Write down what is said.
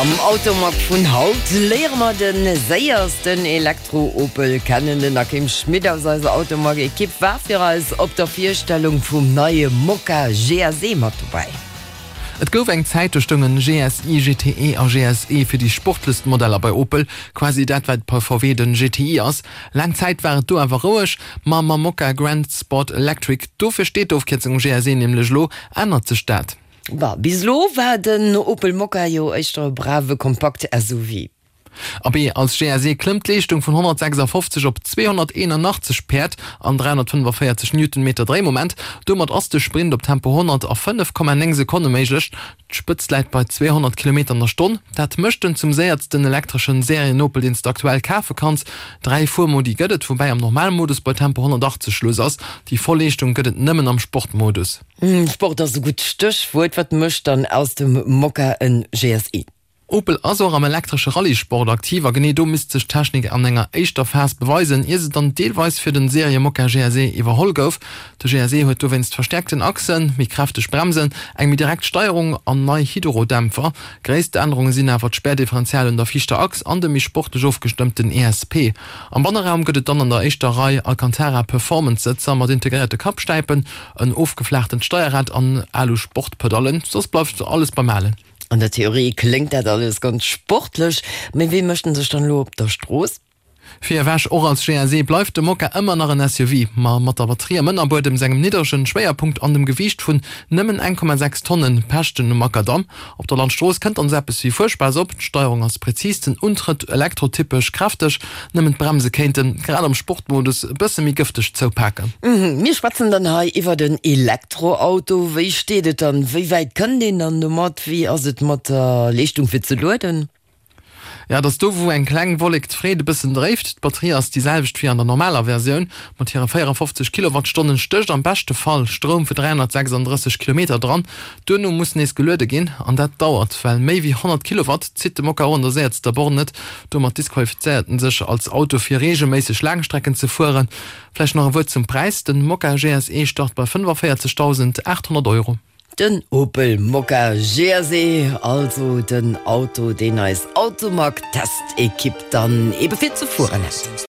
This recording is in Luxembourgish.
Am Automag vun haut léiere mer de séiersten Elektro-Opel kennen. Den Akim Schmit aus eiser Automag-Ekipp war fir eis op der Virstellung vum neie Mokka GSE mat dobäi. Et gouf eng Zäit, do stoungen GSI, GTE a GSE fir déi sportlechst Modeller bei Opel, quasi dat wat bei VW den GTI ass. Laang Zäit war et do awer roueg, ma mam Mokka Grand Sport Electric, dofir steet d'Ofkierzung GSE nämlech elo, ännert sech dat. Bah, bis elo war den Opel Mokka jo éischter e brave kompakt SUV. Abee, als GSE klëmmt d'Leeschtung vun 156 op 281 Päerd an 345 Newtonmeter Dréimoment. Domat ass de Sprint op Tempo 100 a 5,9 Sekonne méiglech. D'Spëtzt läit bei 200 Kilometer an der Stonn. Dat mécht en zum séiertsten elektreschen Serien-Opel, deen s de aktuell kafe kanns. Dräi Fuermodi gëtt et, woubäi am Normalmodus bei Tempo 180 Schluss ass. Déi voll Leeschtung gëtt et nëmmen am Sportmodus. Sport ass e gutt Stéchwuert. Wat mécht dann aus dem Mokka en GSI? Opel ass och am elektresche Rallye-Sport aktiv a genee do misst sech d'Technik an enger éischter Phas beweisen, ier se dann deelweis fir den Serie-Mokka GSE iwwerholl gouf. De GSE huet dowéinst verstäerkten Achsen, méi kräfteg Bremsen, eng méi direkt Steierung an nei Hydrodämpfer. Gréisst Ännerunge sinn awer d'Spärdifferential un der viischter Achs an de méi sportlech ofgestëmmten ESP. Am Banneraum gëtt et dann an der éischter Rei Alcantara Performance-Sëtzer mat integréierte Kappstäipen, en ofgeflaachtent Steierrad an Alu-Sportpedallen. Soss bleift alles beim Alen. An der Theorie kléngt dat alles ganz sportlech, mee wéi mécht en sech dann elo op der Strooss? Fir ewech, och als GSE bleift de Mokka ëmmer nach en SUV, ma mat der Batterie am Ënnerbuedem, sengem nidderegen Schwéierpunkt an dem Gewiicht vun nëmmen 1,6 Tonnen pecht en um Makadamm. Op der Landstrooss kënnt dann esou eppes wéi Fuerspaass op, d'Steierung ass präzis, den Untrëtt elektrotypesch kräfteg, nëmmen d'Bremse kéinten, grad am Sportmodus, e bësse méi gëfteg zoupaken. Mir schwätzen dann hei iwwert en Elektroauto. Wéi steet et dann? Wéi wäit kënnt een dann domat? Wéi ass et mat der Leeschtung fir ze lueden? Ja, et ass do wou eng kleng Wollek d'Freed e bëssen dréift. D'Batterie ass déi selwecht wéi an der normaler Versioun. Mat hire 54 Kilowattstonnen stécht am beschte Fall Stroum fir 336 Kilometer dran. Duerno muss nees geluede ginn an dat dauert, well méi wéi 100 Kilowatt zitt de Mokka och an der séiertster Born net. Domat disqualifizéiert en sech als Auto fir reegelméisseg Laangstrecken ze fueren. Vläicht nach e Wuert zum Präis, Den Mokka GSE start bei 45.800 Euro. Den Opel Mokka GSE, also den Auto deen eis Automag Testekipp dann ebe fir ze fueren hat.